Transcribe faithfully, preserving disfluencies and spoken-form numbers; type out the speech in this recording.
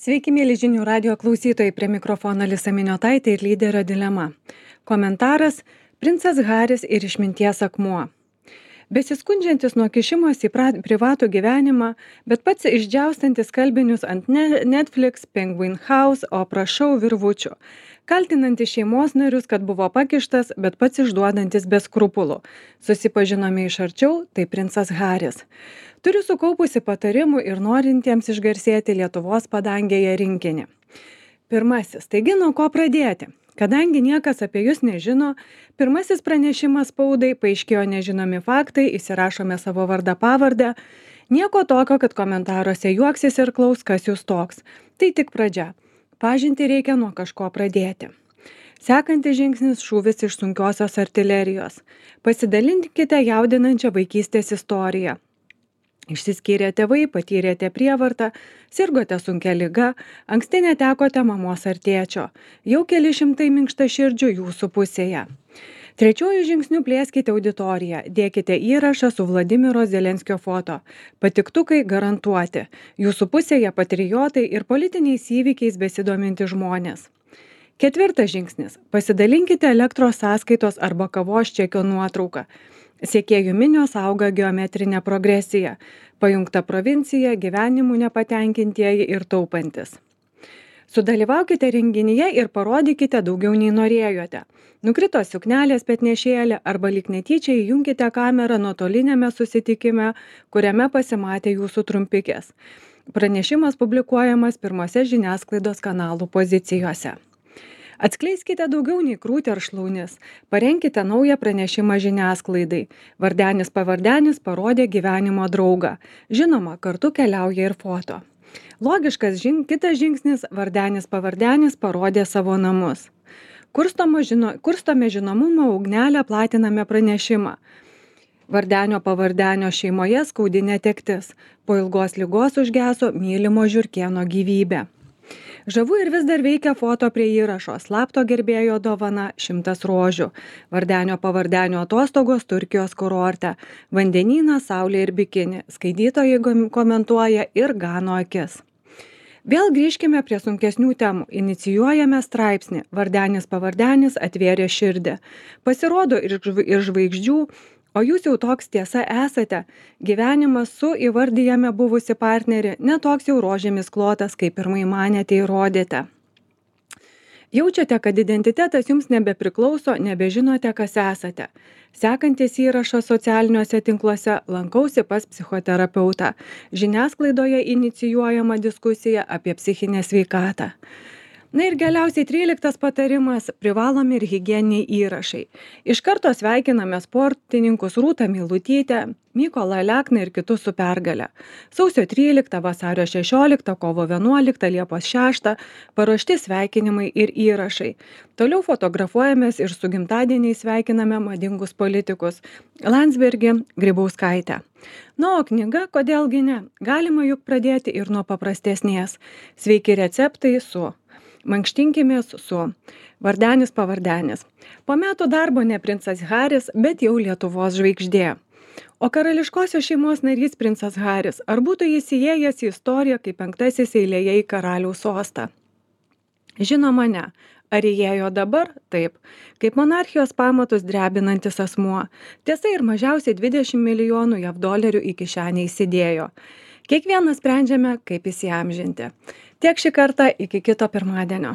Sveiki, mėly žinių radio klausytojai, prie mikrofono Alisa Miniotaitė ir lyderio dilema. Komentaras – princas Haris ir išminties akmuo. Besiskundžiantis nuo kišimos į pra- privatų gyvenimą, bet pats išdžiaustantis kalbinius ant Ne- Netflix, Penguin House, o prašau virvučių. Kaltinantis šeimos narius, kad buvo pakištas, bet pats išduodantis be skrupulų. Susipažinome iš arčiau, tai princas Haris. Turiu sukaupusi patarimų ir norintiems išgarsėti Lietuvos padangėje rinkinį. Pirmasis, taigi nuo ko pradėti? Kadangi niekas apie jūs nežino, pirmasis pranešimas spaudai, paaiškėjo nežinomi faktai, įsirašome savo vardą pavardę. Nieko tokio, kad komentaruose juoksis ir klaus, kas jūs toks. Tai tik pradžia. Pažinti reikia nuo kažko pradėti. Sekantis žingsnis – šūvis iš sunkiosios artilerijos. Pasidalinkite jaudinančią vaikystės istoriją. Išsiskyrė tėvai, patyrėte prievartą, sirgote sunkia liga, anksti netekote mamos ar tėčio. Jau keli šimtai minkštaširdžių jūsų pusėje. Trečiuoju žingsniu plėskite auditoriją, dėkite įrašą su Vladimiro Zelenskio foto. Patiktukai garantuoti. Jūsų pusėje patriotai ir politiniais įvykiais besidominti žmonės. Ketvirtas žingsnis. Pasidalinkite elektros sąskaitos arba kavos čekio nuotrauką. Sekėjų minios auga geometrinė progresija. Pajungta provincija, gyvenimų nepatenkintieji ir taupantis. Sudalyvaukite renginyje ir parodykite daugiau nei norėjote. Nukrito suknelės petnešėlė arba lyg netyčia įjunkite kamerą nuotolinėme susitikime, kuriame pasimatė jūsų trumpikės. Pranešimas publikuojamas pirmose žiniasklaidos kanalų pozicijose. Atskleiskite daugiau nei krūtį ar šlaunis. Parenkite naują pranešimą žiniasklaidai. Vardenis pavardenis parodė gyvenimo draugą. Žinoma, kartu keliauja ir foto. Logiškas žin, kitas žingsnis – vardenis pavardenis parodė savo namus. Kurstome, žino, kurstome žinomumo ugnelę, platiname pranešimą. Vardenio pavardenio šeimoje skaudi netektis. Po ilgos ligos užgeso mylimo žiurkėno gyvybė. Žavu ir vis dar veikia foto prie įrašo, slapto gerbėjo dovana šimtas rožių, vardenio pavardenio atostogos Turkijos kurorte, vandenynas, saulė ir bikini, skaitytojai komentuoja ir gano akis. Vėl grįžkime prie sunkesnių temų, inicijuojame straipsnį, vardenis pavardenis atvėrė širdį. Pasirodo ir žvaigždžių, o jūs jau toks tiesa esate, gyvenimas su įvardyjame buvusi partnerį, netoks jau rožėmis klotas, kaip pirmai manėte įrodėte. Jaučiate, kad identitetas jums nebepriklauso, nebežinote, kas esate. Sekantis įrašas socialiniuose tinkluose lankausi pas psichoterapeutą. Žiniasklaidoje inicijuojama diskusija apie psichinę sveikatą. Na ir galiausiai tryliktas patarimas – privalomi ir higieniniai įrašai. Iš karto sveikiname sportininkus Rūtą Meilutytę, Mykolą Alekną ir kitus su pergale. Sausio tryliktą, vasario šešioliktą, kovo vienuoliktą, Liepos šeštą paruošti sveikinimai ir įrašai. Toliau fotografuojamės ir su gimtadieniais sveikiname madingus politikus – Landsbergį, Grybauskaitę. Na, o knyga kodėlgi ne? Galima juk pradėti ir nuo paprastesnės. Sveiki receptai su mankštinkimės su vardenis pavardenis. Po metų darbo ne princas Haris, bet jau Lietuvos žvaigždė. O karališkosios šeimos narys princas Haris, ar būtų jis įėjęs į istoriją kaip penktasis eilėje į karaliaus sostą? Žinoma, ne. Ar įėjo dabar? Taip. Kaip monarchijos pamatus drebinantis asmuo. Tiesa, ir mažiausiai dvidešimt milijonų jav dolerių į kišenę įsidėjo. Kiekvienas sprendžiame, kaip įsiamžinti. Tiek šį kartą, iki kito pirmadienio.